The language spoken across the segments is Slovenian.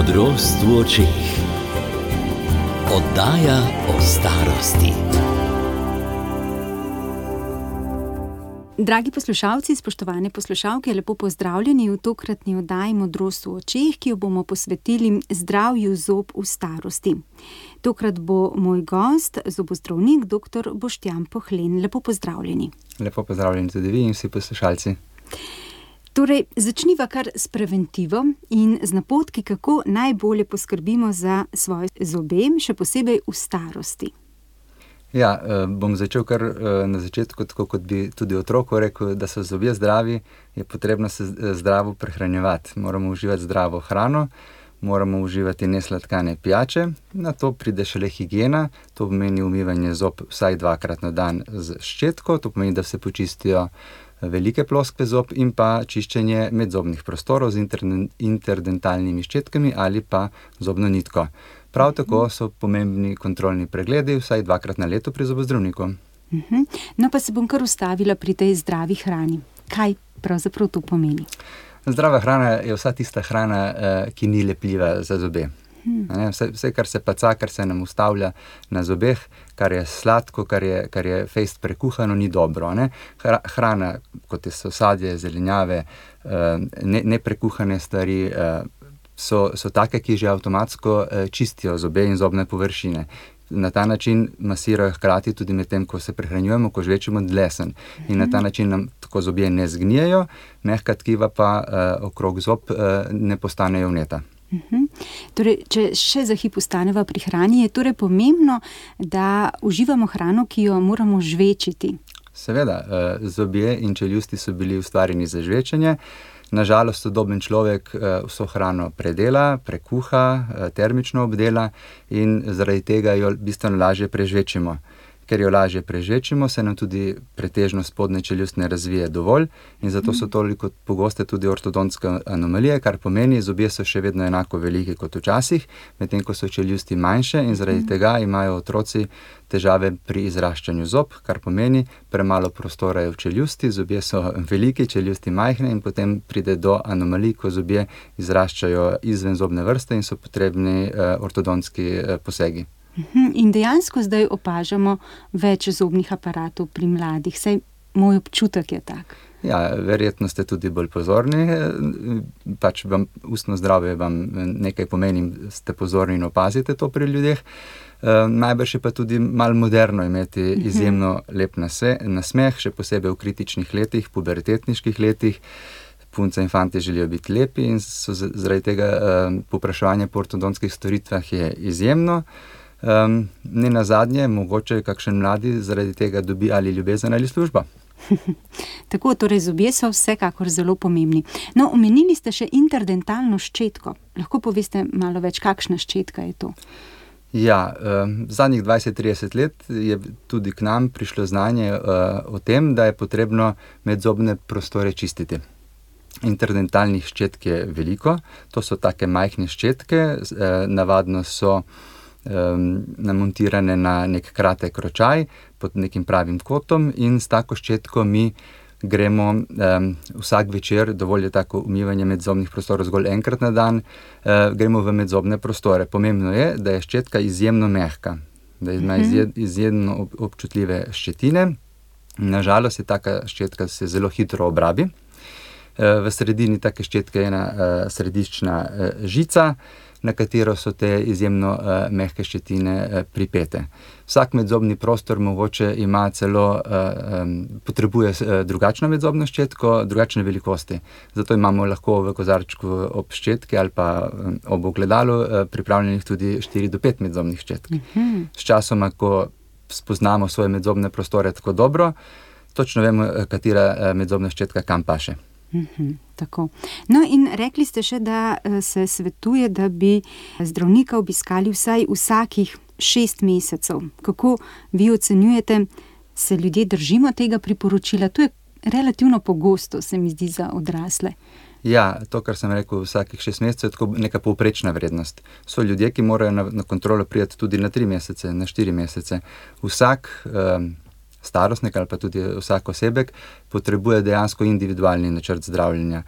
Modrost v očeh. Oddaja o starosti. Dragi poslušalci, spoštovane poslušalke, lepo pozdravljeni v tokratni oddaji Modrost v očeh, ki jo bomo posvetili zdravju zob v starosti. Tokrat bo moj gost, zobozdravnik dr. Boštjan Pohlen. Lepo pozdravljeni. Lepo pozdravljeni tudi vi in vsi poslušalci. Torej, začniva kar s preventivo in z napotki, kako najbolje poskrbimo za svoje zobe, še posebej v starosti. Ja, bom začel kar na začetku, tako kot bi tudi otroku rekel, da so zobje zdravi, je potrebno se zdravo prehranjevati. Moramo uživati zdravo hrano, moramo uživati nesladkane pijače, na to pride šele higiena, to pomeni umivanje zob vsaj 2-krat na dan z ščetko, to pomeni, da se počistijo velike ploskve zob in pa čiščenje medzobnih prostorov z interdentalnimi ščetkami ali pa zobno nitko. Prav tako so pomembni kontrolni pregledi vsaj 2-krat na leto pri zobozdravniku. No pa se bom kar ustavila pri tej zdravi hrani. Kaj pravzaprav to pomeni? Zdrava hrana je vsa tista hrana, ki ni lepljiva za zobe. Vse, kar se paca, kar se nam ustavlja na zobeh, kar je sladko, kar je fejst prekuhano, ni dobro. Hrana, kot so sadje, zelenjave, neprekuhane stvari, so take, ki že avtomatsko čistijo zobe in zobne površine. Na ta način masirajo hkrati tudi med tem, ko se prehranjujemo, ko žvečemo dlesen. In na ta način nam tako zobje ne zgnijejo, mehka tkiva pa okrog zob ne postanejo vneta. Torej, če še za hip ostaneva pri hrani, je torej pomembno, da uživamo hrano, ki jo moramo žvečiti. Seveda, zobje in čeljusti so bili ustvarjeni za žvečenje. Nažalost, sodoben človek vso hrano predela, prekuha, termično obdela in zaradi tega jo bistveno lažje prežvečimo. Ker jo lažje prežvečimo, se nam tudi pretežno spodnja čeljust ne razvije dovolj in zato so toliko pogoste tudi ortodontske anomalije, kar pomeni, zobje so še vedno enako veliki kot včasih, medtem ko so čeljusti manjše in zaradi tega imajo otroci težave pri izraščanju zob, kar pomeni, premalo prostora je v čeljusti, zobje so veliki, čeljusti majhne in potem pride do anomalij, ko zobje izraščajo izven zobne vrste in so potrebni ortodontski posegi. In dejansko zdaj opažamo več zobnih aparatov pri mladih, saj moj občutek je tak. Ja, verjetno ste tudi bolj pozorni, pač vam ustno zdravje vam nekaj pomeni, ste pozorni in opazite to pri ljudeh. Najbrž je pa tudi malo moderno imeti izjemno lep nasmeh, še posebej v kritičnih letih, pubertetniških letih. Punce in fantje želijo biti lepi in so zaradi tega povpraševanje po ortodontskih storitvah je izjemno. Ne nazadnje, mogoče kakšen mladi zaradi tega dobi ali ljubezen ali služba. Tako, torej zobje so vsekakor zelo pomembni. No, omenili ste še interdentalno ščetko. Lahko poveste malo več, kakšna ščetka je to? Ja, zadnjih 20-30 let je tudi k nam prišlo znanje o tem, da je potrebno medzobne prostore čistiti. Interdentalnih ščetk je veliko, to so take majhne ščetke, navadno so namontirane na nek kratek ročaj pod nekim pravim kotom in s tako ščetko mi gremo vsak večer, dovolj je tako umivanje medzobnih prostorov zgolj enkrat na dan, gremo v medzobne prostore. Pomembno je, da je ščetka izjemno mehka, da ima izjemno občutljive ščetine. Nažalost je taka ščetka se zelo hitro obrabi. V sredini take ščetke je ena središčna žica, na katero so te izjemno mehke ščetine pripete. Vsak medzobni prostor mogoče ima celo, potrebuje drugačno medzobno ščetko, drugačne velikosti. Zato imamo lahko v kozarčku ob ščetki ali pa ob ogledalu pripravljenih tudi 4 do 5 medzobnih ščetk. Sčasoma, ko spoznamo svoje medzobne prostore tako dobro, točno vemo, katera medzobna ščetka kam paše. Tako. No in rekli ste še, da se svetuje, da bi zdravnika obiskali vsaj vsakih 6 mesecev. Kako vi ocenjujete, se ljudje držimo tega priporočila? To je relativno pogosto, se mi zdi, za odrasle. Ja, to, kar sem rekel, vsakih 6 mesecev je tako neka povprečna vrednost. So ljudje, ki morajo na kontrolo priti tudi na 3 mesece, na 4 mesece. Vsak starostnik ali pa tudi vsak osebek potrebuje dejansko individualni načrt zdravljenja.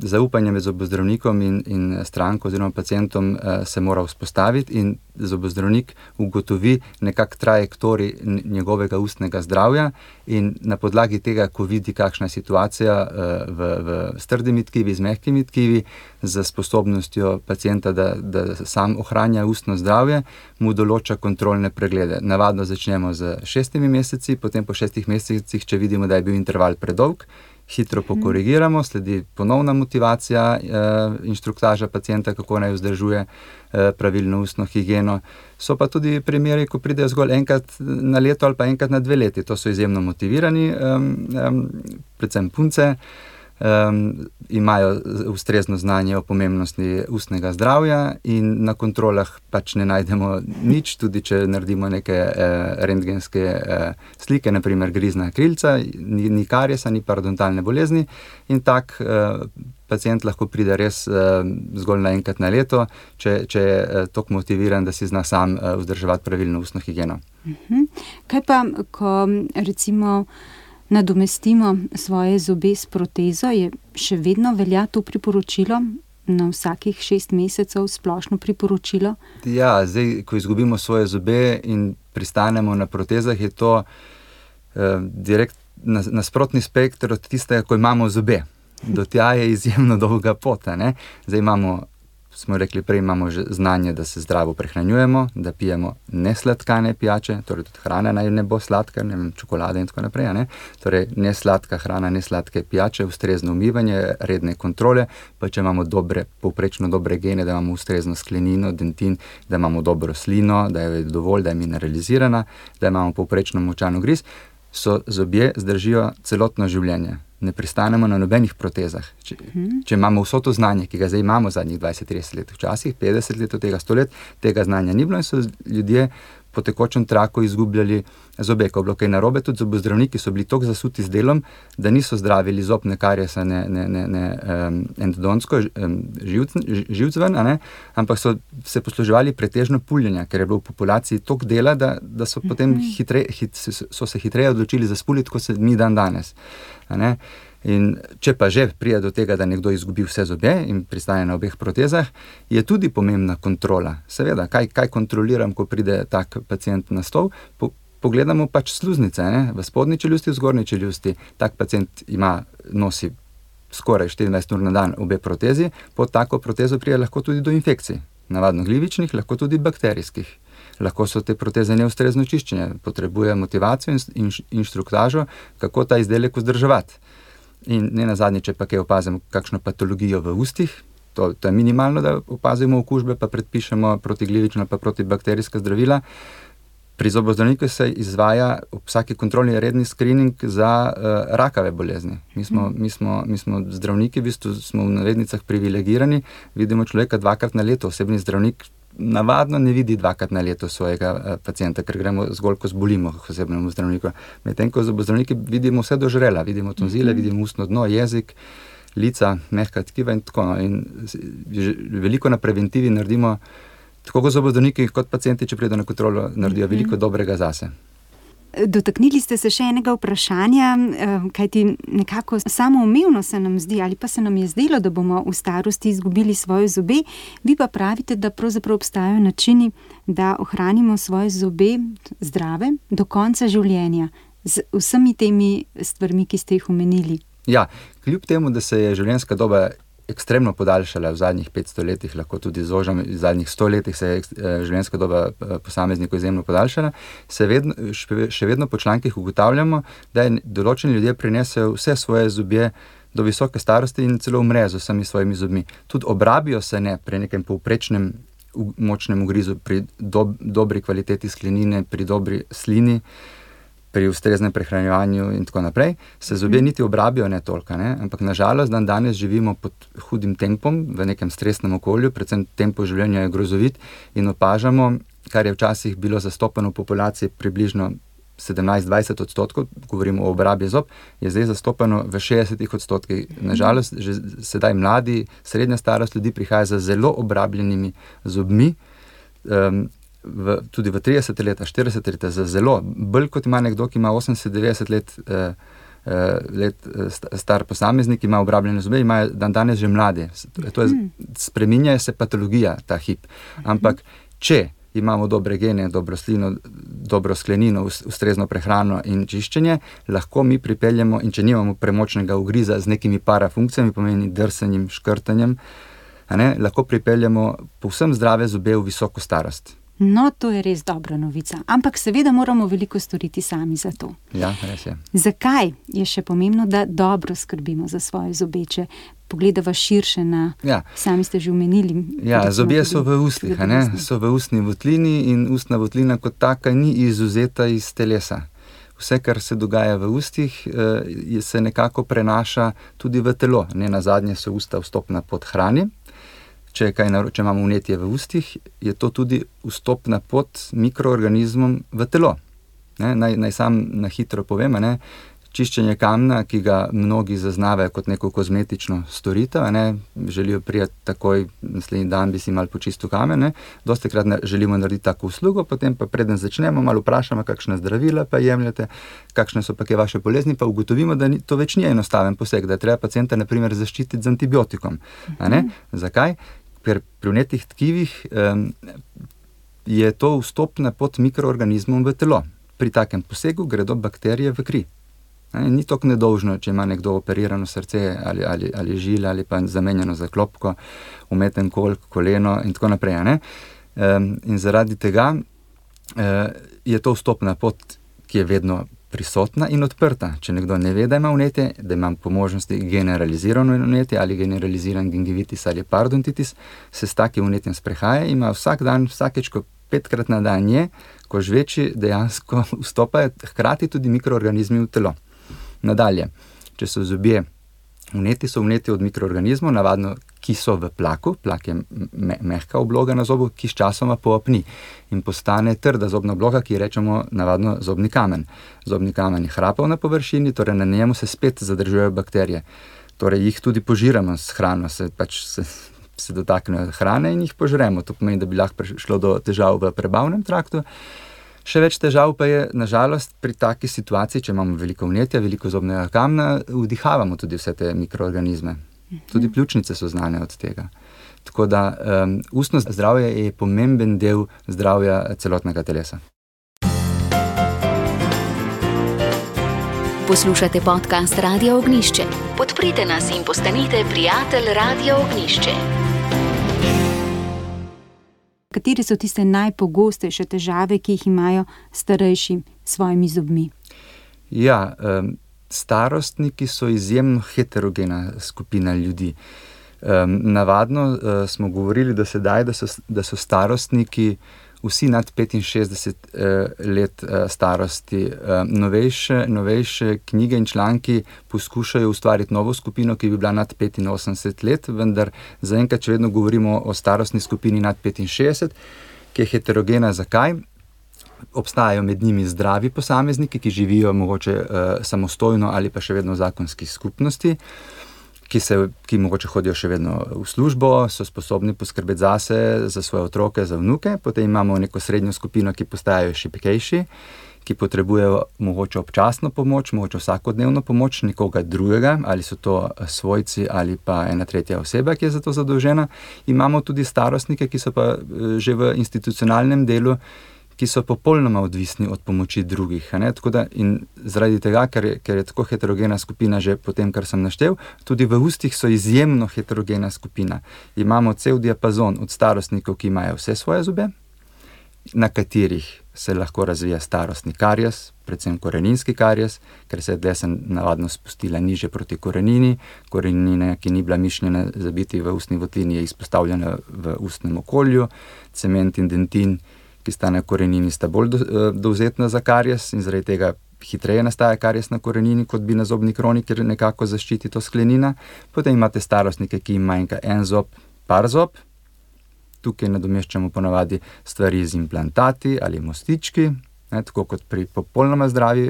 zaupanje med zobozdravnikom in stranko oziroma pacientom se mora vzpostaviti in zobozdravnik ugotovi nekak trajektorij njegovega ustnega zdravja in na podlagi tega, ko vidi, kakšna je situacija s trdimi tkivi, z mehkimi tkivi, z sposobnostjo pacienta, da sam ohranja ustno zdravje, mu določa kontrolne preglede. Navadno začnemo z 6 meseci, potem po 6 mesecih, če vidimo, da je bil interval predolg, hitro pokorigiramo, sledi ponovna motivacija inštruktaža pacienta, kako naj vzdržuje pravilno ustno higieno. So pa tudi primeri, ko pridejo zgolj enkrat na leto ali pa enkrat na 2 leti. To so izjemno motivirani, predvsem punce, imajo ustrezno znanje o pomembnosti ustnega zdravja in na kontrolah pač ne najdemo nič, tudi če naredimo neke rentgenske slike, naprimer grizna krilca, ni kariesa, ni parodontalne bolezni in tak pacient lahko pride res zgolj na enkrat na leto, če je toliko motiviran, da si zna sam vzdrževati pravilno ustno higieno. Kaj pa, ko recimo nadomestimo svoje zobe s protezo, je še vedno velja to priporočilo na vsakih 6 mesecev, splošno priporočilo? Ja, zdaj, ko izgubimo svoje zobe in pristanemo na protezah, je to direkt nasprotni spektr od tistega, ko imamo zobe. Do tja je izjemno dolga pot, ne? Zdaj smo rekli prej, imamo že znanje, da se zdravo prehranjujemo, da pijemo nesladkane pijače, torej tudi hrana naj ne bo sladka, ne vem, čokolade in tako naprej, ne? Torej nesladka hrana, nesladke pijače, ustrezno umivanje, redne kontrole, pa če imamo povprečno dobre gene, da imamo ustrezno sklenino, dentin, da imamo dobro slino, da je dovolj, da je mineralizirana, da imamo povprečno močan ugriz, so zobje zdržijo celotno življenje. Ne pristanemo na nobenih protezah. Če imamo vso to znanje, ki ga zdaj imamo zadnjih 20-30 let, včasih 50 let od tega 100 let, tega znanja ni bilo in so ljudje po tekočem traku izgubljali zobe. Ko je bilo kaj narobe, tudi zobozdravniki so bili toliko zasuti z delom, da niso zdravili zob, ne kariesa, ne endodontsko, živcven, ampak so se posluževali pretežno puljenja, ker je bilo v populaciji toliko dela, da so potem so se hitreje odločili za spuliti, kot se mi danes. In če pa že pride do tega, da nekdo izgubi vse zobe in pristane na obeh protezah, je tudi pomembna kontrola. Seveda, kaj kontroliram, ko pride tak pacient na stol? Pogledamo pač sluznice, v spodnji čeljusti, v zgornji čeljusti. Tak pacient nosi skoraj 24 ur na dan obe protezi, pod tako protezo pride lahko tudi do infekcij. Navadno glivičnih, lahko tudi bakterijskih. Lahko so te proteze neustrezno čiščenje, potrebuje motivacijo in inštruktažo, kako ta izdelek vzdrževati. In ne nazadnje, če pa kaj opazimo kakšno patologijo v ustih, to je minimalno, da opazimo okužbe, pa predpišemo protiglivična pa protibakterijska zdravila. Pri zobozdravniku se izvaja ob vsaki kontrolni redni screening za rakave bolezni. Mi smo zdravniki, v bistvu smo v navednicah privilegirani, vidimo človeka 2-krat na leto, osebni zdravnik navadno ne vidi 2-krat na leto svojega pacienta, ker gremo zgolj, ko zbolimo k osebnemu zdravniku. Medtem ko zobozdravniki vidimo vse do žrela, vidimo tonzile, vidimo ustno dno, jezik, lica, mehka tkiva in tako. In veliko na preventivi naredimo, tako kot zobozdravniki, kot pacienti, če pridejo na kontrolo, naredijo veliko dobrega zase. Dotaknili ste se še enega vprašanja, kajti nekako samoumevno se nam zdi, ali pa se nam je zdelo, da bomo v starosti izgubili svoje zobe, vi pa pravite, da pravzaprav obstajajo načini, da ohranimo svoje zobe zdrave do konca življenja, z vsemi temi stvarmi, ki ste jih omenili. Ja, kljub temu, da se je življenjska doba ekstremno podaljšala v zadnjih 500 letih, lahko tudi zožam, v zadnjih 100 letih se je življenjska doba posameznikov izjemno podaljšala, še vedno po člankih ugotavljamo, da določeni ljudje prinesejo vse svoje zobje do visoke starosti in celo umrejo z vsemi svojimi zobmi. Tudi obrabijo se ne pri nekem povprečnem močnem ugrizu, pri dobri kvaliteti sklenine, pri dobri slini, pri ustreznem prehranjevanju in tako naprej, se zobje niti obrabijo ne toliko, ampak nažalost danes živimo pod hudim tempom, v nekem stresnem okolju, predvsem tempo življenja je grozovit in opažamo, kar je včasih bilo zastopano v populaciji približno 17-20%, govorimo o obrabi zob, je zdaj zastopano v 60%. Nažalost, že sedaj mladi, srednja starost ljudi prihaja z zelo obrabljenimi zobmi, tudi v 30 leta, 40 leta, za zelo, bolj kot ima nekdo, ki ima 80-90 let let star posameznik, ima obrabljene zobe, imajo danes že mlade. Spreminja se patologija ta hip. Ampak če imamo dobre gene, dobro slino, dobro sklenino, ustrezno prehrano in čiščenje, lahko mi pripeljemo, in če nimamo premočnega ugriza z nekimi parafunkcijami, pomeni drsanjem, škrtanjem, lahko pripeljemo povsem zdrave zobe v visoko starost. No, to je res dobra novica. Ampak seveda moramo veliko storiti sami za to. Ja, res je. Zakaj je še pomembno, da dobro skrbimo za svoje zobeče? Pogledava širše na, sami ste že omenili. Ja, zobje so v ustih, so v ustni votlini in ustna votlina kot taka ni izvzeta iz telesa. Vse, kar se dogaja v ustih, se nekako prenaša tudi v telo. Nenazadnje so usta vstopna pot hrani. Če imamo vnetje v ustih, je to tudi vstopna pot mikroorganizmom v telo. Naj sam na hitro povem, čiščenje kamna, ki ga mnogi zaznavajo kot neko kozmetično storitev, želijo prijeti takoj, naslednji dan bi si malo počistil kamen, dostikrat želimo narediti tako uslugo, potem pa preden začnemo, malo vprašamo, kakšna zdravila pa jemljete, kakšne so pa kaj vaše bolezni, pa ugotovimo, da to več ni enostaven poseg, da je treba pacienta na primer zaščititi z antibiotikom. Zakaj? Ker pri vnetih tkivih je to vstopna pot mikroorganizmom v telo. Pri takem posegu gredo bakterije v kri. Ni tako nedolžno, če ima nekdo operirano srce ali žile ali pa zamenjano zaklopko, umeten kolk, koleno in tako naprej. In zaradi tega je to vstopna pot, ki je vedno prisotna in odprta. Če nekdo ne ve, da ima vnetje, da ima po možnosti generalizirano vnetje ali generaliziran gingivitis ali parodontitis, se s takim vnetjem sprehaja, ima vsak dan, vsakeč, ko 5-krat na dan je, ko žveči, dejansko vstopajo hkrati tudi mikroorganizmi v telo. Nadalje, če so zobje vneti, so vneti od mikroorganizmov, navadno, ki so v plaku, plak je mehka obloga na zobu, ki s časoma poopni in postane trda zobna obloga, ki rečemo navadno zobni kamen. Zobni kamen je hrapal na površini, torej na njemu se spet zadržujejo bakterije. Torej jih tudi požiramo s hrano, se dotaknejo hrane in jih požremo. To pomeni, da bi lahko prišlo do težav v prebavnem traktu. Še več težav pa je, nažalost, pri taki situaciji, če imamo veliko vnetja, veliko zobnega kamna, vdihavamo tudi vse te mikroorganizme. Tudi pljučnice so znane od tega. Tako da ustno zdravje je pomemben del zdravja celotnega telesa. Poslušate podcast Radio Ognjišče. Podprite nas in postanite prijatelj Radio Ognjišče. Katere so tiste najpogostejše težave, ki jih imajo starejši s svojimi zobmi? Ja, starostniki so izjemno heterogena skupina ljudi. Navadno smo govorili do sedaj, da so starostniki vsi nad 65 let starosti. Novejše knjige in članki poskušajo ustvariti novo skupino, ki bi bila nad 85 let, vendar zaenkrat še vedno govorimo o starostni skupini nad 65, ki je heterogena. Zakaj? Obstajajo med njimi zdravi posamezniki, ki živijo mogoče samostojno ali pa še vedno v zakonski skupnosti, ki mogoče hodijo še vedno v službo, so sposobni poskrbeti zase, za svoje otroke, za vnuke. Potem imamo neko srednjo skupino, ki postajajo šibkejši, ki potrebujejo mogoče občasno pomoč, mogoče vsakodnevno pomoč nekoga drugega, ali so to svojci ali pa ena tretja oseba, ki je za to zadolžena. Imamo tudi starostnike, ki so pa že v institucionalnem delu, ki so popolnoma odvisni od pomoči drugih. Tako da, in zaradi tega, ker je tako heterogena skupina že po tem, kar sem naštel, tudi v ustih so izjemno heterogena skupina. Imamo cel diapazon od starostnikov, ki imajo vse svoje zobe, na katerih se lahko razvija starostni karijes, predvsem koreninski karijes, ker se je desen navadno spustila niže proti korenini. Korenina, ki ni bila mišljena za biti v ustni votlini, je izpostavljena v ustnem okolju. Cement in dentin, ki sta na korenini, sta bolj dovzetna za karijes in zaradi tega hitreje nastaja karijes na korenini, kot bi na zobni kroni, ker nekako zaščiti to sklenina. Potem imate starostnike, ki jim manjka en zob, par zob. Tukaj nadomeščamo ponavadi stvari z implantati ali mostički, tako kot pri popolnoma zdravi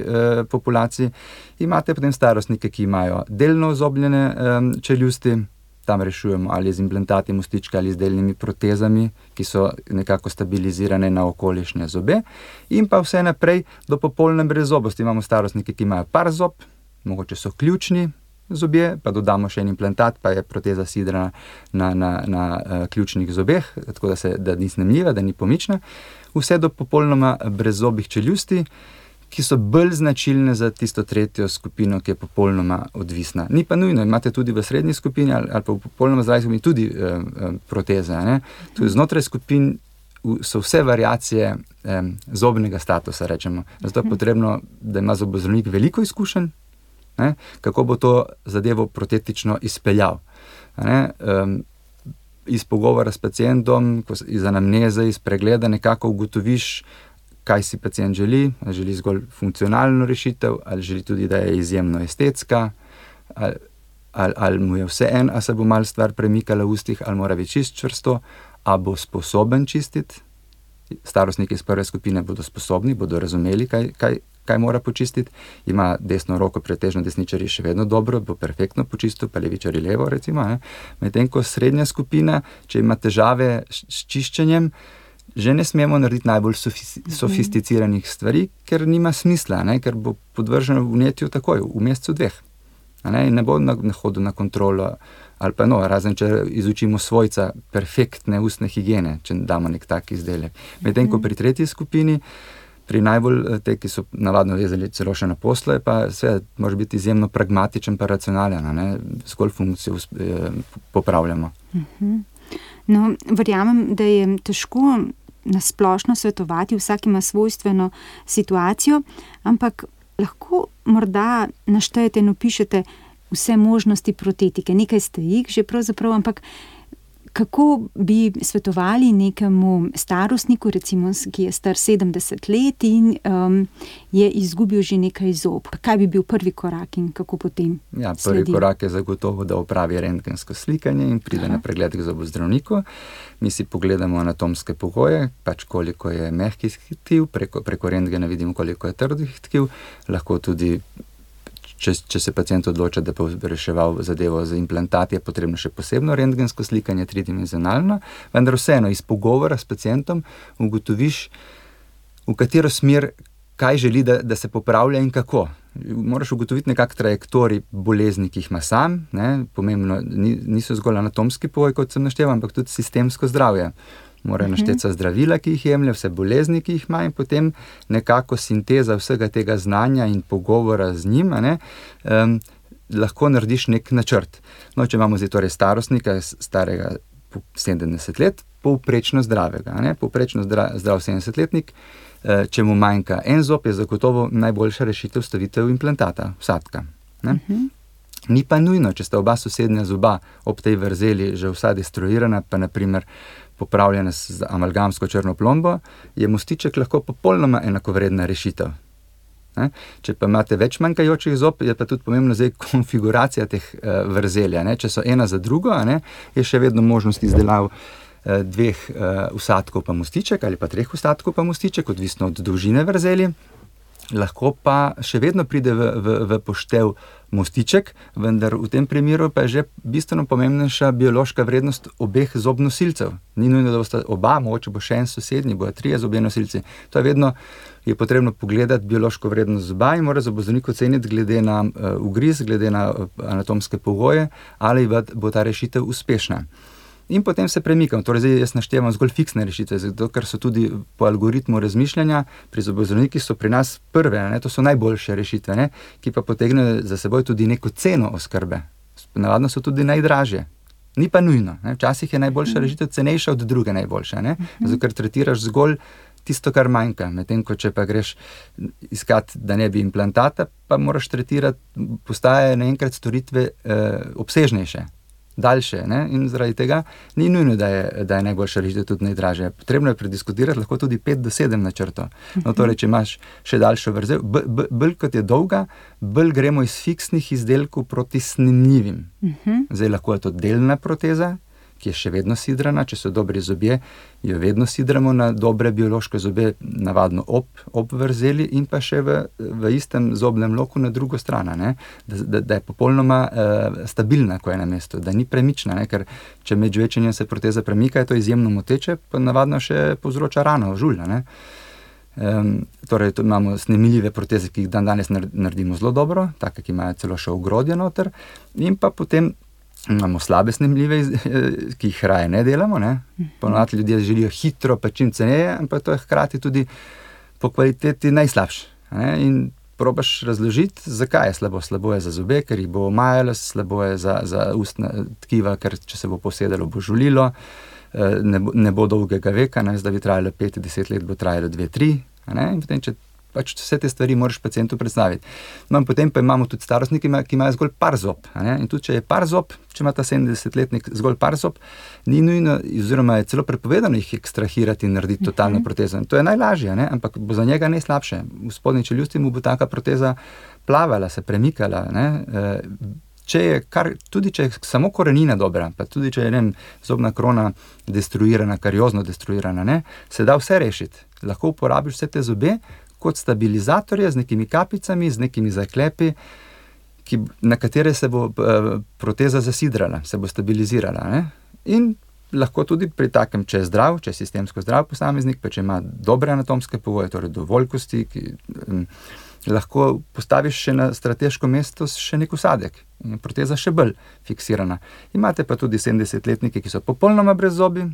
populaciji. Imate potem starostnike, ki imajo delno ozobljene čeljusti. Tam rešujemo ali z implantati mostička ali z delnimi protezami, ki so nekako stabilizirane na okolišne zobe. In pa vse naprej do popolne brezzobosti. Imamo starostnike, ki imajo par zob, mogoče so ključni zobje, pa dodamo še en implantat, pa je proteza sidrana na ključnih zobeh, tako da ni snemljiva, da ni pomična, vse do popolnoma brezzobih čeljusti, ki so bolj značilne za tisto tretjo skupino, ki je popolnoma odvisna. Ni pa nujno, imate tudi v srednji skupini ali pa v popolnoma zdravi skupini tudi proteze. Ne? Tudi znotraj skupin so vse variacije zobnega statusa, rečemo. Zato je potrebno, da ima zobozdravnik veliko izkušenj, ne? Kako bo to zadevo protetično izpeljal. Iz pogovora s pacientom, iz anamneze, iz pregleda nekako ugotoviš, kaj si pacient želi, ali želi zgolj funkcionalno rešitev, ali želi tudi, da je izjemno estetska, ali mu je vseeno, ali se bo malo stvar premikala v ustih, ali mora biti čist čvrsto, ali bo sposoben čistiti. Starostniki iz prve skupine bodo sposobni, bodo razumeli, kaj mora počistiti. Ima desno roko, pretežno desničarji še vedno dobro, bo perfektno počistil, pa levičarji levo, recimo. Medtem ko srednja skupina, če ima težave s čiščenjem, že ne smemo narediti najbolj sofisticiranih stvari, ker nima smisla, ker bo podvrženo vnetju takoj, v mesecu 2. In ne bo hodil na kontrolo, ali pa razen če izučimo svojca perfektne ustne higiene, če damo nek tak izdelek. Medtem ko pri tretji skupini, pri najbolj te, ki so navadno vezali celo še na posle, pa seveda može biti izjemno pragmatičen pa racionalen, zgolj funkcijo popravljamo. No, verjamem, da je težko nasplošno svetovati, vsak ima svojstveno situacijo, ampak lahko morda naštejete in opišete vse možnosti protetike. Nekaj ste jih že pravzaprav, ampak kako bi svetovali nekemu starostniku, recimo, ki je star 70 let in je izgubil že nekaj zob? Kaj bi bil prvi korak in kako potem sledi? Prvi korak je zagotovo, da opravi rentgensko slikanje in pride na pregled k zobozdravniku. Mi si pogledamo anatomske pogoje, koliko je mehkih tkiv, preko rentgena vidimo, koliko je trdih tkiv, lahko tudi če se pacient odloča, da bo reševal zadevo z implantati, je potrebno še posebno rentgensko slikanje, tridimenzionalno, vendar vseeno iz pogovora s pacientom ugotoviš, v katero smer, kaj želi, da se popravlja in kako. Moraš ugotoviti nekak trajektorij bolezni, ki jih ima sam, pomembno, niso zgolj anatomski pogoji, kot sem našteval, ampak tudi sistemsko zdravje. Morajo našteti zdravila, ki jih jemlje, vse bolezni, ki jih ima, in potem nekako sinteza vsega tega znanja in pogovora z njim, lahko narediš nek načrt. Če imamo zdaj torej starostnika, starega 70 let, povprečno zdravega. Povprečno zdrav 70-letnik, če mu manjka en zob, je zagotovo najboljša rešitev stavitev implantata, vsadka. Ni pa nujno, če sta oba sosednja zoba ob tej vrzeli že vsa destruirana, pa naprimer popravljena z amalgamsko črno plombo, je mostiček lahko popolnoma enakovredna rešitev. Če pa imate več manjkajočih zob, je pa tudi pomembno zdaj konfiguracija teh vrzelja. Če so ena za drugo, je še vedno možnost izdelav 2 vsadkov pa mostiček ali pa 3 vsadkov pa mostiček, odvisno od dolžine vrzeli. Lahko pa še vedno pride v poštev mostiček, vendar v tem primeru pa je že bistveno pomembnejša biološka vrednost obeh zobnosilcev. Ni nujno, da bosta oba, mogoče bo še en sosednji, bojo 3 zobje nosilci. To je vedno, je potrebno pogledati biološko vrednost zoba in mora zobozdravnik oceniti glede na ugriz, glede na anatomske pogoje, ali bo ta rešitev uspešna. In potem se premikam. Torej, zdaj jaz naštevam zgolj fiksne rešitve, zato ker so tudi po algoritmu razmišljanja pri zobozdravnikih so pri nas prve, to so najboljše rešitve, ki pa potegnejo za seboj tudi neko ceno oskrbe. Navadno so tudi najdražje. Ni pa nujno. Včasih je najboljša rešitev cenejša od druge najboljše, zato ker tretiraš zgolj tisto, kar manjka. Medtem ko če pa greš iskat, da ne bi implantata, pa moraš tretirati, postajajo naenkrat storitve obsežnejše, daljše, in zaradi tega ni nujno, da je najboljša rešitev tudi najdražja. Potrebno je prediskutirati lahko tudi 5 do 7 načrtov. Torej, če imaš še daljšo vrzel, bolj kot je dolga, bolj gremo iz fiksnih izdelkov proti snemljivim. Zdaj lahko je to delna proteza, ki je še vedno sidrana, če so dobri zobje, jo vedno sidramo na dobre biološke zobje, navadno ob vrzeli in pa še v istem zobnem loku na drugo stran, da je popolnoma stabilna, ko je na mestu, da ni premična, ker če med žvečenjem se proteza premika, je to izjemno moteče, pa navadno še povzroča rano, žulj. Torej, imamo snemljive proteze, ki jih danes naredimo zelo dobro, take, ki imajo celo še ogrodje noter, in pa potem imamo slabe snemljive, ki jih raje ne delamo. Ne? Ponovadi ljudje želijo hitro, pa čim ceneje, ampak to je hkrati tudi po kvaliteti najslabše. Ne? In probaš razložiti, zakaj je slabo. Slabo je za zobe, ker jih bo omajalo, slabo je za ustna tkiva, ker če se bo posedalo, bo žulilo, ne bo dolgega veka, ne? Da bi trajalo 5-10 let, bo trajalo 2-3. In potem, če pač vse te stvari moraš pacientu predstaviti. No, potem pa imamo tudi starostniki, ki imajo zgolj par zob. In tudi, če je par zob, če ima ta 70-letnik zgolj par zob, ni nujno, oziroma je celo prepovedano jih ekstrahirati in narediti totalno protezo. In to je najlažje, ampak bo za njega najslabše. V spodnji čeljusti mu bo taka proteza plavala, se premikala. Tudi če je samo korenina dobra, pa tudi če je zobna krona destruirana, kariozno destruirana, se da vse rešiti. Lahko uporabiš vse te zobe kot stabilizatorje z nekimi kapicami, z nekimi zaklepi, na katere se bo proteza zasidrala, se bo stabilizirala. In lahko tudi pri takem, če je zdrav, če je sistemsko zdrav posameznik, pa če ima dobre anatomske pogoje, torej dovolj kosti, lahko postaviš še na strateško mesto še nek usadek in proteza še bolj fiksirana. Imate pa tudi 70-letnike, ki so popolnoma brez zobi.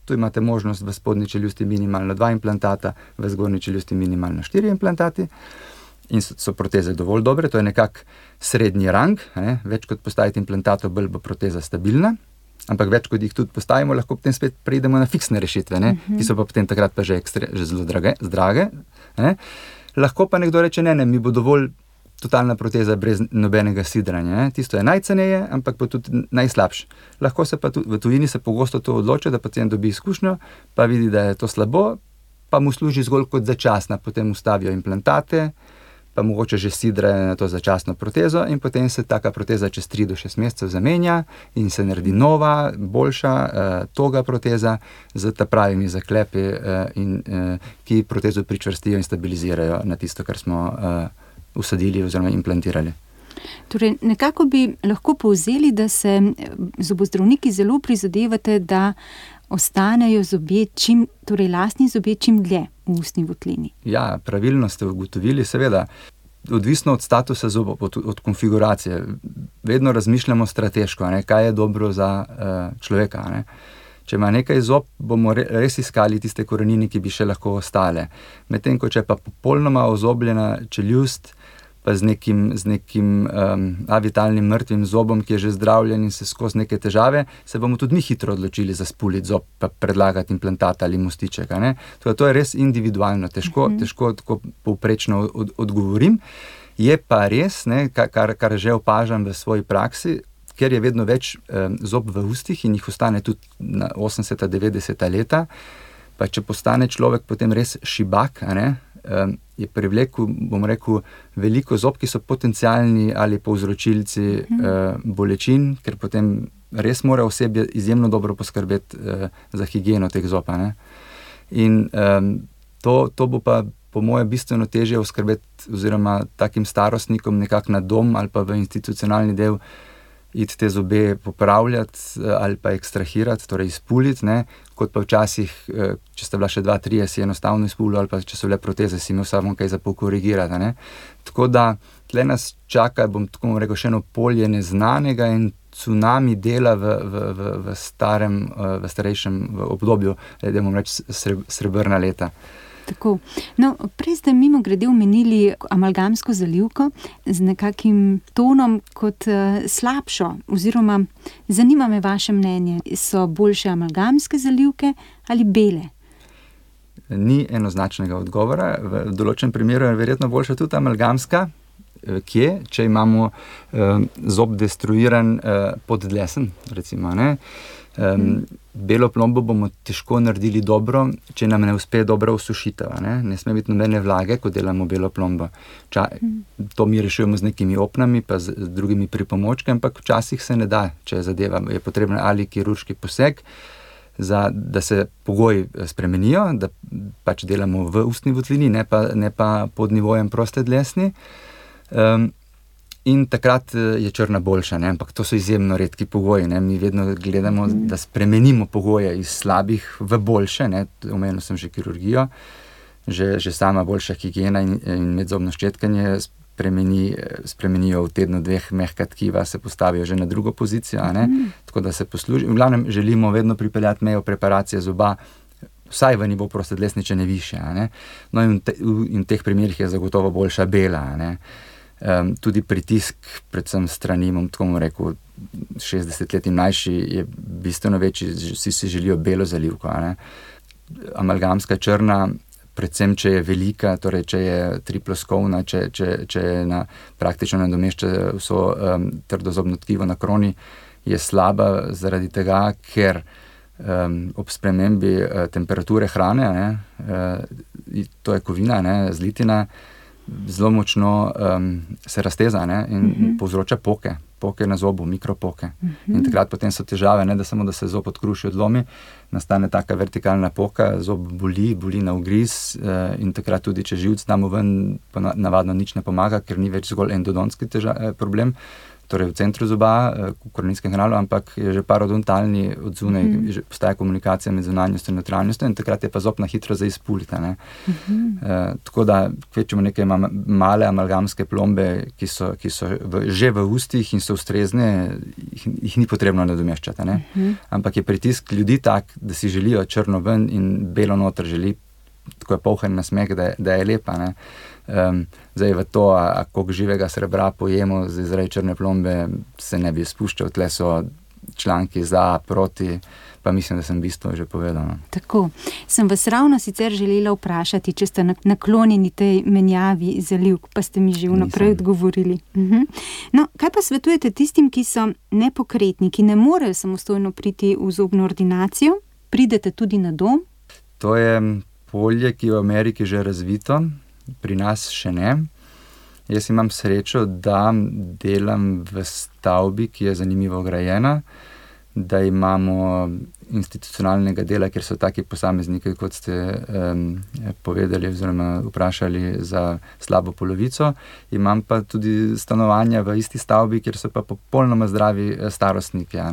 Tu imate možnost v spodnji čeljusti minimalno 2 implantata, v zgornji čeljusti minimalno 4 implantati in so proteze dovolj dobre, to je nekak srednji rang, več kot postaviti implantatov, bolj bo proteza stabilna, ampak več kot jih tudi postavimo, lahko potem spet preidemo na fiksne rešitve, ki so pa potem takrat pa že zelo drage. Lahko pa nekdo reče, ne, mi bo dovolj totalna proteza brez nobenega sidranja. Tisto je najceneje, ampak pa tudi najslabše. Lahko se pa tudi, v tujini se pogosto to odloči, da pacient dobi izkušnjo, pa vidi, da je to slabo, pa mu služi zgolj kot začasna, potem ustavijo implantate, pa mogoče že sidrajo na to začasno protezo in potem se taka proteza čez 3 do 6 mesecev zamenja in se naredi nova, boljša, toga proteza z ta pravimi zaklepi, ki protezo pričvrstijo in stabilizirajo na tisto, kar smo usadili oziroma implantirali. Torej, nekako bi lahko povzeli, da se zobozdravniki zelo prizadevate, da ostanejo zobje torej lastni zobje čim dlje v ustni votlini. Ja, pravilno ste ugotovili, seveda. Odvisno od statusa zoba, od konfiguracije. Vedno razmišljamo strateško, kaj je dobro za človeka. Če ima nekaj zob, bomo res iskali tiste korenine, ki bi še lahko ostale. Medtem ko če pa popolnoma ozobljena čeljust, pa z nekim avitalnim mrtvim zobom, ki je že zdravljen in se skozi neke težave, se bomo tudi mi hitro odločili za spuliti zob, pa predlagati implantata ali mostiček. To je res individualno, težko tako povprečno odgovorim. Je pa res, kar že opažam v svoji praksi, ker je vedno več zob v ustih in jih ostane tudi na 80-90 leta, pa če postane človek potem res šibak, je privlekel, bom rekel, veliko zob, ki so potencialni ali povzročilci bolečin, ker potem res mora osebje izjemno dobro poskrbeti za higieno teh zob. In to bo pa po moje bistveno težje oskrbeti oziroma takim starostnikom nekako na dom ali pa v institucionalni del iti te zobe popravljati ali pa ekstrahirati, torej izpuliti, kot pa včasih, če sta bila še 2-3, si enostavno izpulil, ali pa če so bile proteze, si imel samo kaj za pokorigirati. Tako da tle nas čaka, bom tako rekel, še eno polje neznanega in cunami dela v starejšem obdobju, da bom reči srebrna leta. Tako. No, prej ste mimogrede omenili amalgamsko zalivko z nekakim tonom kot slabšo, oziroma zanima me vaše mnenje, so boljše amalgamske zalivke ali bele? Ni enoznačnega odgovora, v določenem primeru je verjetno boljša tudi amalgamska, če imamo zob destruiran pod dlesen, recimo, belo plombo bomo težko naredili dobro, če nam ne uspe dobro osušitev. Ne sme biti nobene vlage, ko delamo belo plombo. To mi rešujemo z nekimi opnami, pa z drugimi pripomočki, ampak včasih se ne da, če zadeva. Je potreben ali kirurški poseg, da se pogoji spremenijo, da pač delamo v ustni votlini, ne pa pod nivojem proste dlesni. In takrat je črna boljša, ampak to so izjemno redki pogoji. Mi vedno gledamo, da spremenimo pogoje iz slabih v boljše, omenil sem že kirurgijo. že sama boljša higiena in medzobno ščetkanje spremenijo v tednu 2 mehka tkiva, se postavijo že na drugo pozicijo, tako da se posluži. V glavnem želimo vedno pripeljati mejo preparacije zoba vsaj v nivo prostodlesničene više. No in v teh primerih je zagotovo boljša bela. Tudi pritisk, predvsem strani, tako bom rekel, 60 let in mlajši je bistveno večji, vsi si želijo belo zalivko. Amalgamska črna, predvsem če je velika, torej če je triploskovna, če je praktično nadomešča vso trdozobno tkivo na kroni, je slaba zaradi tega, ker ob spremembi temperature hrane, to je kovina, zlitina, zelo močno se razteza in povzroča poke na zobu, mikropoke. In takrat potem so težave, ne da samo, da se zob odkruši, odlomi, nastane taka vertikalna poka, zob boli na ugriz in takrat tudi, če živc damo ven, pa navadno nič ne pomaga, ker ni več zgolj endodontski problem, torej v centru zoba, v koreninskem kanalu, ampak je že parodontalni od zunaj, postaja komunikacija med zunanjostjo in notranjostjo in takrat je pa zob na hitro za izpuliti. Tako da kvečemo neke male amalgamske plombe, ki so že v ustih in so ustrezne, jih ni potrebno nadomeščati. Ampak je pritisk ljudi tak, da si želijo črno ven in belo noter želi, tako je polhen nasmeh, da je lepa. Zdaj v to, koliko živega srebra pojemo zaradi črne plombe, se ne bi spuščal. Tle so članki za, proti, pa mislim, da sem bistvo že povedal. Tako. Sem vas ravno sicer želela vprašati, če ste naklonjeni tej menjavi zalivk, pa ste mi že vnaprej odgovorili. No, kaj pa svetujete tistim, ki so nepokretni, ki ne morejo samostojno priti v zobno ordinacijo? Pridete tudi na dom? To je polje, ki je v Ameriki že razvito, pri nas še ne. Jaz imam srečo, da delam v stavbi, ki je zanimivo grajena, da imamo institucionalnega dela, kjer so taki posamezniki, kot ste povedali oziroma vprašali za slabo polovico. Imam pa tudi stanovanja v isti stavbi, kjer so pa popolnoma zdravi starostniki.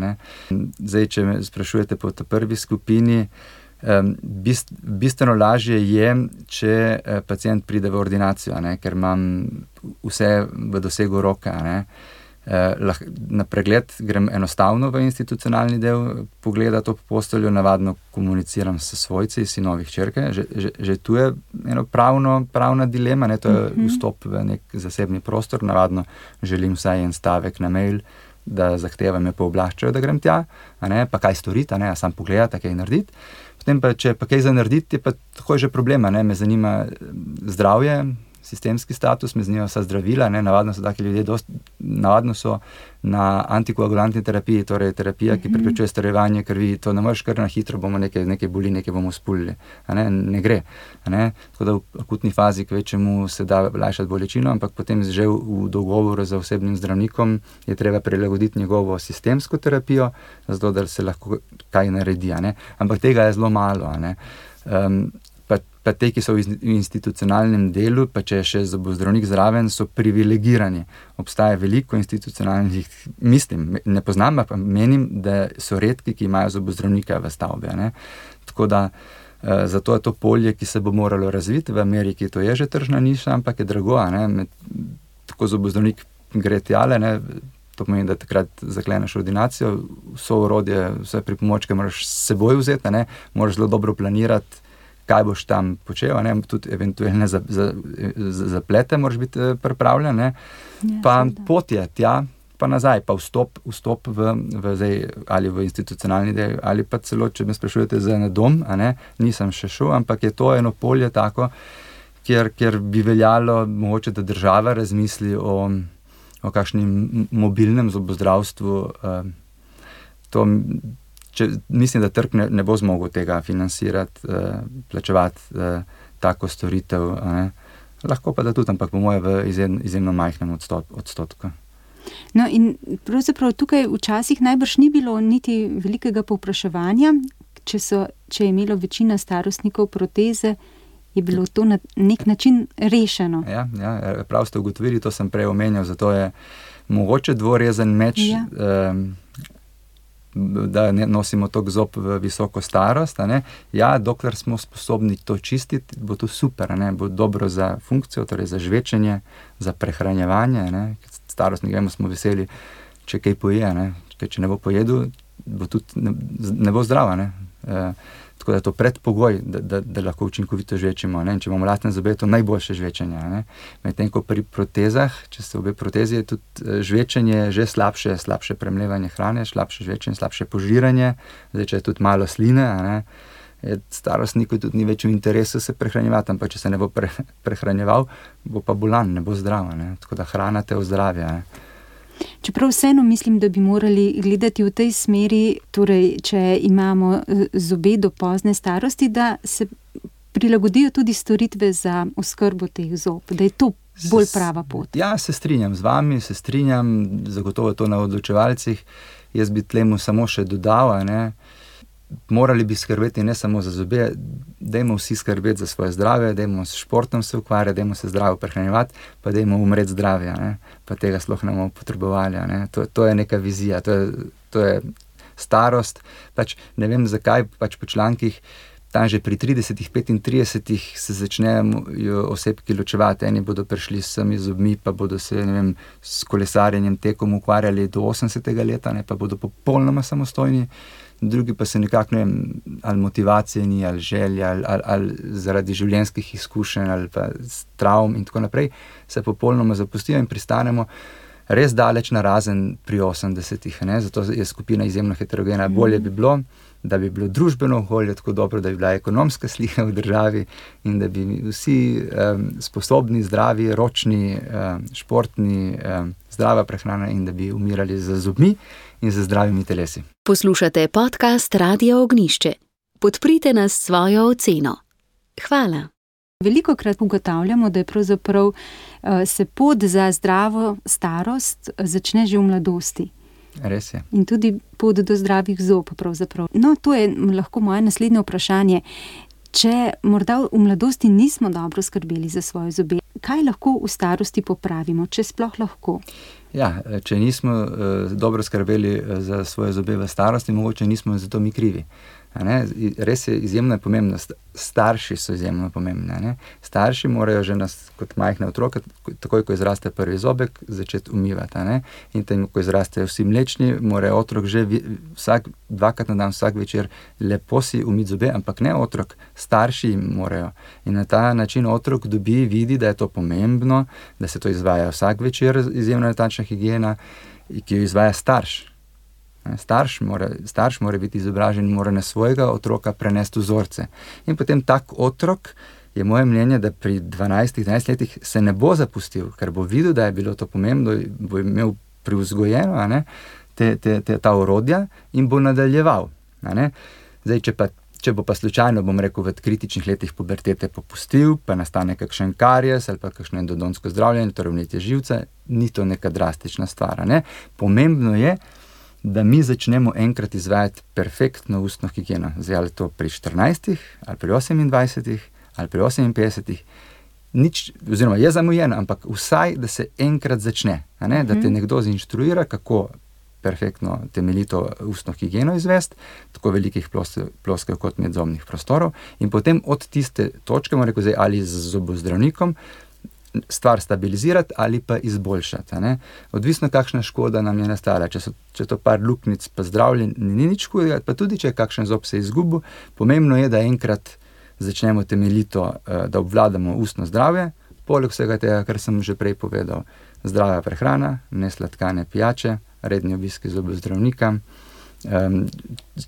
Zdaj, če me sprašujete po tej prvi skupini, bistveno lažje je, če pacient pride v ordinacijo, ker imam vse v dosegu roke. Na pregled grem enostavno v institucionalni del pogledati ob posteljo, navadno komuniciram s svojci, sinovi, hčerke. Že tu je eno pravna dilema, to je vstop v nek zasebni prostor, navadno želim vsaj en stavek na mail, da zahtevam me pooblaščajo, da grem tja, pa kaj storiti, a sam pogledati, kaj narediti. Potem pa, če pa kaj za narediti, je pa tako že problema, me zanima zdravje, sistemski status, me zanimajo vsa zdravila, navadno so taki ljudje navadno so na antikoagulantni terapiji, torej terapija, ki preprečuje starevanje krvi, to ne moreš kar na hitro, bomo nekaj boli, nekaj bomo spulili, ne gre. Tako da v akutni fazi kvečemu se da lajšati bolečino, ampak potem že v dogovoru z osebnim zdravnikom je treba prilagoditi njegovo sistemsko terapijo, zato da se lahko kaj naredi, ampak tega je zelo malo. Pa te, ki so v institucionalnem delu, pa če je še zobozdravnik zraven, so privilegirani. Obstaja veliko institucionalnih, mislim, ne poznam, pa menim, da so redki, ki imajo zobozdravnika v stavbi. Tako da zato je to polje, ki se bo moralo razviti. V Ameriki to je že tržna niša, ampak je drago. Tako zobozdravnik gre tjale, to pomeni, da takrat zakleneš ordinacijo, vso orodje, vse pripomočke moraš s seboj vzeti, moraš zelo dobro planirati, kaj boš tam počel, tudi eventualne zaplete moraš biti pripravljen, pa pot je tja, pa nazaj, pa vstop v zdaj, ali v institucionalni del, ali pa celo, če me sprašujete za na dom, nisem še šel, ampak je to eno polje tako, kjer bi veljalo mogoče, da država razmisli o kakšnem mobilnem zobozdravstvu. Mislim, da trg ne bo zmogel tega financirati, plačevati tako storitev. Lahko pa da tudi, ampak po moje v izjemno majhnem odstotku. No in pravzaprav tukaj včasih najbrž ni bilo niti velikega povpraševanja, če je imelo večina starostnikov proteze, je bilo to na nek način rešeno. Ja, prav ste ugotovili, to sem prej omenjal, zato je mogoče dvorezen meč. da ne nosimo toliko zob v visoko starost. Ja, dokler smo sposobni to čistiti, bo to super, bo dobro za funkcijo, torej za žvečenje, za prehranjevanje. Starostnik, vemo, smo veseli, če kaj poje, če ne bo pojedel, bo tudi ne bo zdrava. Tako da je to predpogoj, da lahko učinkovito žvečimo. Če imamo lastne zobe, je to najboljše žvečenje. Medtem ko pri protezah, če se obe protezi, je tudi žvečenje že slabše premlevanje hrane, slabše žvečenje, slabše požiranje. Zdaj, če je tudi malo sline, starostniku tudi ni več v interesu se prehranjevati, ampak če se ne bo prehranjeval, bo pa bolan, ne bo zdrav. Tako da hrana te ozdravlja. Čeprav vseeno mislim, da bi morali gledati v tej smeri, torej, če imamo zobe do pozne starosti, da se prilagodijo tudi storitve za oskrbo teh zob, da je to bolj prava pot. Ja, se strinjam z vami, zagotovo to na odločevalcih. Jaz bi tlemu samo še dodal, morali bi skrbeti ne samo za zobe, dajmo vsi skrbeti za svoje zdravje, dajmo s športom se ukvarjati, dajmo se zdravo prehranjevati, pa dajmo umreti zdravja, pa tega sploh ne bomo potrebovali. To je neka vizija, to je starost. Ne vem zakaj, po člankih tam že pri 30-35 se začnejo osebki ločevati. Eni bodo prišli s sami zobmi, pa bodo se, s kolesarjenjem, tekom ukvarjali do 80. leta, pa bodo popolnoma samostojni. Drugi pa se nekako, ali motivacije ni, ali želja, ali zaradi življenjskih izkušenj, ali pa travm in tako naprej, se popolnoma zapustijo in pristanemo res daleč na razen pri 80-ih. Zato je skupina izjemno heterogena. Bolje bi bilo, da bi bilo družbeno okolje tako dobro, da bi bila ekonomska slika v državi in da bi vsi sposobni, zdravi, ročni, športni, zdrava prehrana in da bi umirali z zobmi in z zdravimi telesi. Poslušate podcast Radio Ognjišče. Podprite nas s svojo oceno. Hvala. Velikokrat ugotavljamo, da je pravzaprav se pot za zdravo starost začne že v mladosti. Res je. In tudi pot do zdravih zob pravzaprav. No, to je lahko moje naslednje vprašanje. Če morda v mladosti nismo dobro skrbeli za svoje zobe, kaj lahko v starosti popravimo, če sploh lahko? Ja, če nismo dobro skrbeli za svoje zobe v starosti, mogoče nismo za to mi krivi. Res je, izjemno je pomembno. Starši so izjemno pomembni. Starši morajo že nas kot majhne otroke, takoj ko izraste prvi zobek, začeti umivati. In tem, ko izrastejo vsi mlečni, mora otrok že dvakrat na dan, vsak večer lepo si umiti zobe, ampak ne otrok, starši jim morajo. In na ta način otrok vidi, da je to pomembno, da se to izvaja vsak večer, izjemno natančna higiena, ki jo izvaja starš. Starš mora biti izobražen in mora na svojega otroka prenesti vzorce. In potem tak otrok, je moje mnenje, da pri 12-13 letih se ne bo zapustil, ker bo videl, da je bilo to pomembno, bo imel privzgojeno ta orodja in bo nadaljeval. Zdaj, če bo pa slučajno, bom rekel, v kritičnih letih pubertete popustil, pa nastane kakšen karies ali pa kakšno endodonsko zdravljenje, torej vnetje živca, ni to neka drastična stvar. Pomembno je, da mi začnemo enkrat izvajati perfektno ustno higieno. Zdaj, ali to pri 14, ali pri 28, ali pri 58, oziroma je zamujeno, ampak vsaj, da se enkrat začne, da te nekdo zinštruira, kako perfektno temeljito ustno higieno izvesti, tako velikih ploskev kot medzobnih prostorov, in potem od tiste točke, moram reči, ali z zobozdravnikom, stvar stabilizirati ali pa izboljšati. Odvisno, kakšna škoda nam je nastala. Če to par luknjic pa zdravljen, ni nič hudega, pa tudi, če je kakšen zob se izgubil, pomembno je, da enkrat začnemo temeljito, da obvladamo ustno zdravje, poleg vsega tega, kar sem že prej povedal, zdrava prehrana, nesladkane pijače, redni obiski zobozdravnika.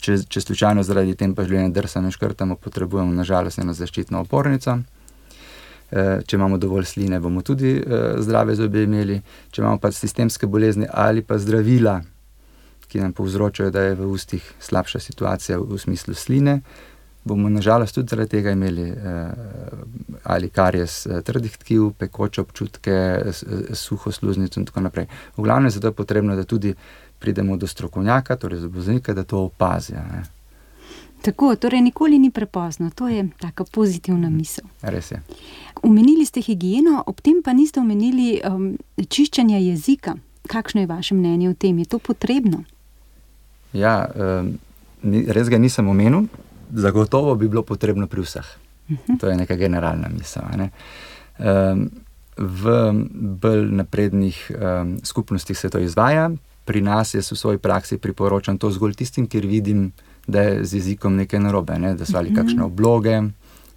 Če slučajno zaradi tempa življenja drsa ne škrtamo, potrebujemo nažalost eno zaščitno opornico. Če imamo dovolj sline, bomo tudi zdrave zobe imeli. Če imamo pa sistemske bolezni ali pa zdravila, ki nam povzročajo, da je v ustih slabša situacija v smislu sline, bomo nažalost tudi zaradi tega imeli ali karies trdih tkiv, pekoče občutke, suho sluznico in tako naprej. V glavnem zato je potrebno, da tudi pridemo do strokovnjaka, torej zobozdravnika, da to opazijo. Tako, torej nikoli ni prepozno, to je taka pozitivna misel. Res je. Omenili ste higieno, ob tem pa niste omenili čiščenja jezika. Kakšno je vaše mnenje o tem? Je to potrebno? Ja, res ga nisem omenil, zagotovo bi bilo potrebno pri vseh. To je neka generalna misel. Ne? V bolj naprednih skupnostih se to izvaja, pri nas jaz v svoji praksi priporočam to zgolj tistim, kjer vidim, da je z jezikom nekaj narobe, ne? Da so ali kakšne obloge,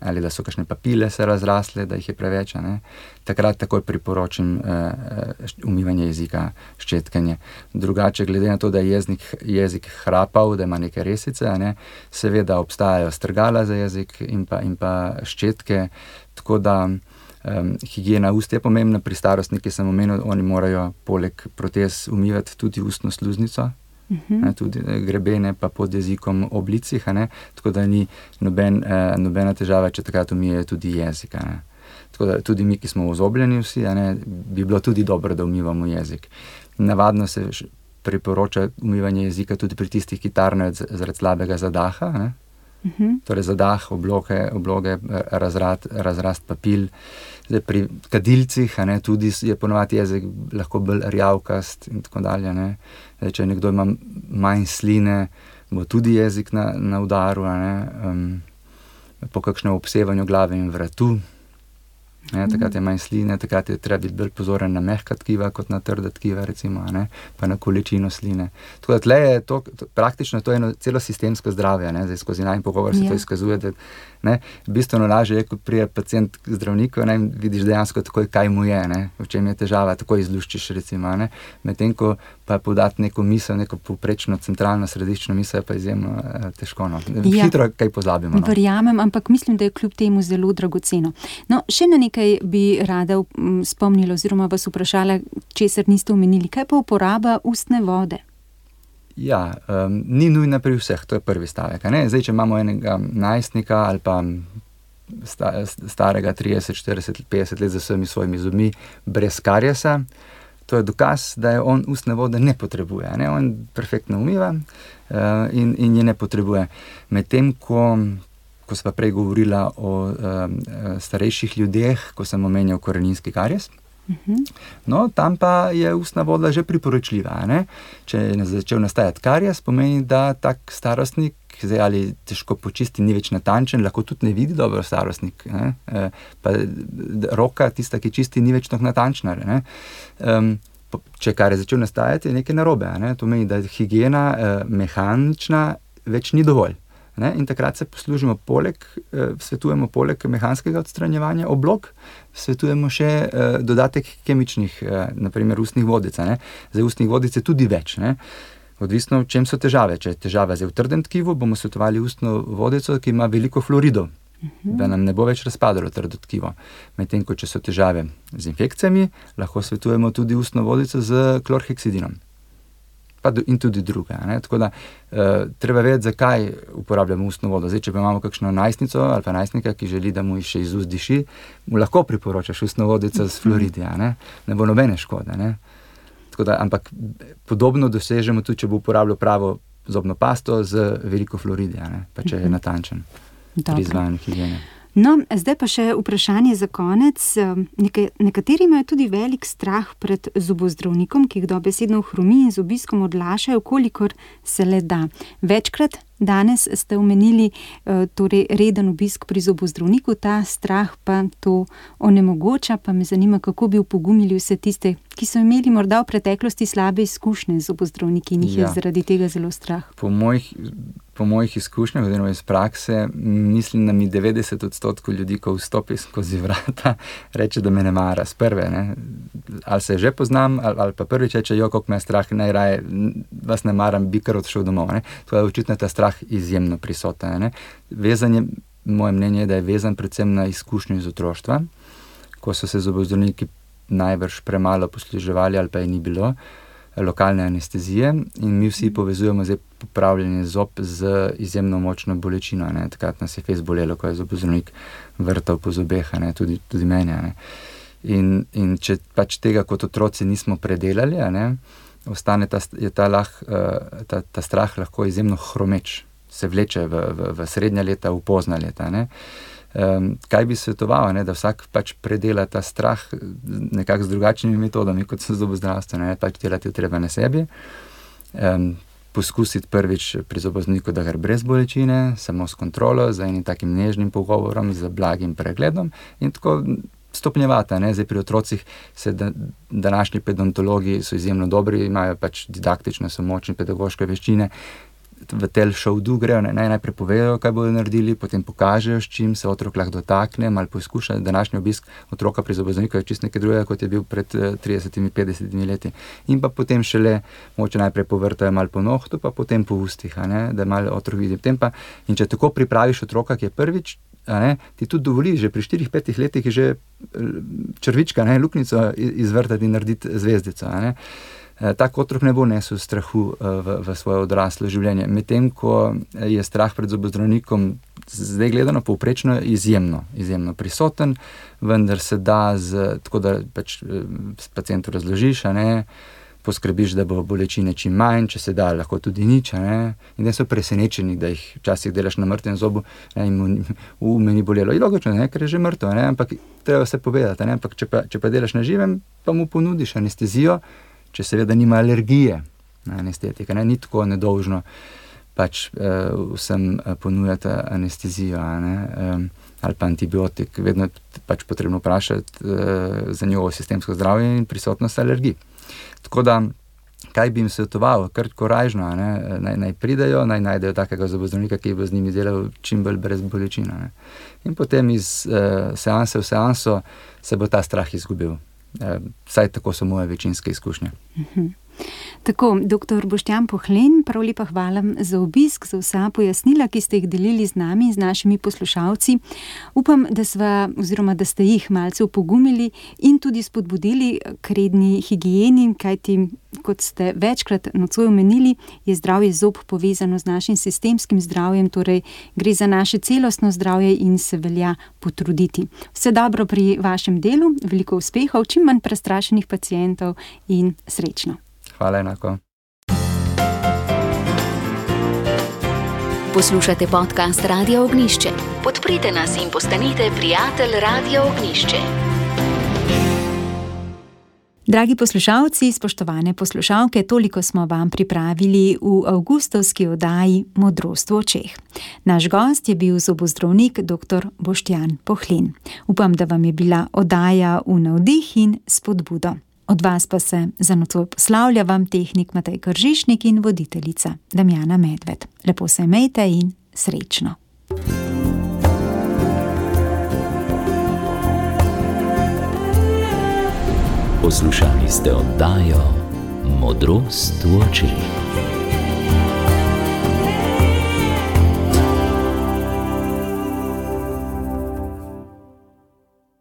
ali da so kakšne papile se razrasle, da jih je preveč. Ne? Takrat takoj priporočam umivanje jezika, ščetkanje. Drugače, glede na to, da je jezik hrapav, da ima neke resice, ne? Seveda obstajajo strgala za jezik in pa ščetke, tako da higiena ust je pomembna. Pri starostnikih sem omenil, oni morajo poleg protez umivati tudi ustno sluznico, tudi grebene pa pod jezikom ob licih, tako da ni nobena težava, če takrat umijejo tudi jezik. Tako da tudi mi, ki smo ozobljeni vsi, bi bilo tudi dobro, da umivamo jezik. Navadno se priporoča umivanje jezika tudi pri tistih, ki tarnajo zaradi slabega zadaha, torej zadah, obloge, razrast papil. Zdaj, pri kadilcih tudi je ponovadi jezik lahko bolj rjavkast in tako dalje. Zdaj, če nekdo ima manj sline, bo tudi jezik na udaru, po kakšnem obsevanju glave in vratu. Takrat je manj sline, takrat je treba biti bolj pozoren na mehka tkiva kot na trda tkiva, recimo, pa na količino sline. Tako da tle je to, praktično to je eno celo sistemsko zdravje, Zdaj, skozi najin pogovor se to izkazuje, da bistveno lažje je, kot prije pacient k zdravniku, vidiš dejansko takoj, kaj mu je, v čem je težava, takoj izluščiš, recimo, medtem ko pa podati neko misel, neko povprečno centralno središčno misel, je pa izjemno težko. Hitro kaj pozabimo. Verjamem, ampak mislim, da je kljub temu zelo dragoceno. Še na nekaj bi rada spomnila oziroma vas vprašala, česar niste omenili. Kaj pa uporaba ustne vode? Ja, ni nujna pri vseh, to je prvi stavek. Zdaj, če imamo enega najstnika ali pa starega 30, 40, 50 let z vsemi svojimi zobmi brez kariesa, to je dokaz, da je on ustne vode ne potrebuje. On perfektno umiva in je ne potrebuje. Medtem, ko sva prej govorila o starejših ljudeh, ko sem omenjal koreninski karies, tam pa je ustna voda že priporočljiva. Če je začel nastajati karies, pomeni, da tak starostnik ali težko počisti, ni več natančen, lahko tudi ne vidi dobro starostnik. Pa roka, tista, ki čisti, ni več tako natančna. Če kar je začel nastajati, je nekaj narobe. To pomeni, da higiena mehanična več ni dovolj. In takrat se poslužimo svetujemo poleg mehanskega odstranjevanja oblog, svetujemo še dodatek kemičnih, naprimer ustnih vodic. Za ustnih vodic je tudi več. Odvisno, v čem so težave. Če je težava v trdem tkivu, bomo svetovali ustno vodico, ki ima veliko fluoridov, da nam ne bo več razpadalo trdo tkivo. Medtem ko če so težave z infekcijami, lahko svetujemo tudi ustno vodico z klorheksidinom. In tudi druga. Tako da treba vedeti, zakaj uporabljamo ustno vodo. Zdaj, če pa imamo kakšno najstnico ali pa najstnika, ki želi, da mu še iz ust diši, mu lahko priporočaš ustno vodico s fluoridi. Ne bo nobene škode. Tako da, ampak podobno dosežemo tudi, če bo uporabljal pravo zobno pasto z veliko fluoridi, pa če je natančen pri izvajanju higiene. Zdaj pa še vprašanje za konec. Nekateri imajo tudi velik strah pred zobozdravnikom, ki jih dobesedno hromi in z obiskom odlašajo, kolikor se le da. Večkrat danes ste omenili torej reden obisk pri zobozdravniku, ta strah pa to onemogoča, pa me zanima, kako bi opogumili vse tiste, ki so imeli morda v preteklosti slabe izkušnje z zobozdravniki in jih je zaradi tega zelo strah. Po mojih izkušnjah, oziroma iz prakse, mislim, da mi 90% ljudi, ko vstopi skozi vrata, reče, da me ne mara s prve. Ali se že poznam, ali pa prvič reče, koliko me je strah, najraje vas ne maram, bi kar odšel domov. To je očitno ta strah izjemno prisoten. Vezanje, moje mnenje je, da je vezan predvsem na izkušnje iz otroštva, ko so se zobozdravniki najbrž premalo posluževali ali pa je ni bilo lokalne anestezije in mi vsi povezujemo zdaj popravljanje zob z izjemno močno bolečino. Takrat nas je fejst bolelo, ko je zobozdravnik vrtal po zobeh, tudi meni. In če pač tega kot otroci nismo predelali, ostane ta strah lahko izjemno hromeč, se vleče v srednja leta, v pozna leta. Kaj bi svetoval, da vsak pač predela ta strah nekako z drugačnimi metodami, kot so zobozdravstvene, pač delati treba na sebi. poskusiti prvič pri zobozdravniku, da gre brez bolečine, samo s kontrolo, z enim takim nežnim pogovorom, z blagim pregledom in tako stopnjevati. Zdaj pri otrocih današnji pedontologi so izjemno dobri, imajo pač didaktične, so močne pedagoške veščine. V tel šovdu grejo, najprej povejo, kaj bodo naredili, potem pokažejo, s čim se otrok lahko dotakne, malo poskuša. Današnji obisk otroka pri zobozdravniku je čisto nekaj drugega, kot je bil pred 30-50 leti. In pa potem šele moče najprej povrtajo malo po nohtu, pa potem po ustih, da malo otrok vidi. In če tako pripraviš otroka, ki je prvič, ti tudi dovoli, že pri 4-5 letih je že črvička, luknjico izvrtati in narediti zvezdico. Tak otrok ne bo nesel strahu v svoje odraslo življenje. Medtem, ko je strah pred zobozdravnikom zdaj gledano povprečno izjemno prisoten, vendar se da tako, da pač pacientu razložiš, poskrbiš, da bo bolečine čim manj, če se da, lahko tudi nič, in da so presenečeni, da jih včasih delaš na mrtvem zobu, in me ni bolelo. In logično, ker je že mrtev, ampak treba se povedati, ampak če pa delaš na živem, pa mu ponudiš anestezijo, če seveda nima alergije na anestetika. Ni tako nedolžno pač vsem ponujati anestezijo, ali pa antibiotik. Vedno je pač potrebno vprašati za njegovo sistemsko zdravje in prisotnost alergij. Tako da, kaj bi jim svetoval? Kar korajžno, naj pridejo, naj najdejo takega zobozdravnika, ki bo z njimi delal čim bolj brez bolečin. In potem iz seanse v seanso se bo ta strah izgubil. Vsaj tako so moje večinske izkušnje. Tako, dr. Boštjan Pohlen, prav lepa hvala za obisk, za vsa pojasnila, ki ste jih delili z nami in z našimi poslušalci. Upam, da ste jih malce opogumili in tudi spodbudili k redni higieni, kajti, kot ste večkrat nocoj omenili, je zdravje zob povezano z našim sistemskim zdravjem, torej gre za naše celostno zdravje in se velja potruditi. Vse dobro pri vašem delu, veliko uspehov, čim manj prestrašenih pacientov in srečno. Hvala enako. Poslušate podcast Radia Ognjišče. Podprite nas in postanite prijatelj Radia Ognjišče. Dragi poslušalci, spoštovane poslušalke, toliko smo vam pripravili v avgustovski oddaji Modrost v očeh. Naš gost je bil zobozdravnik dr. Boštjan Pohlen. Upam, da vam je bila oddaja v navdih in spodbudo. Od vas pa se za nocoj poslavlja vam tehnik Matej Kržišnik in voditeljica Damjana Medved. Lepo se imejte in srečno. Poslušali ste oddajo Modrost v očeh.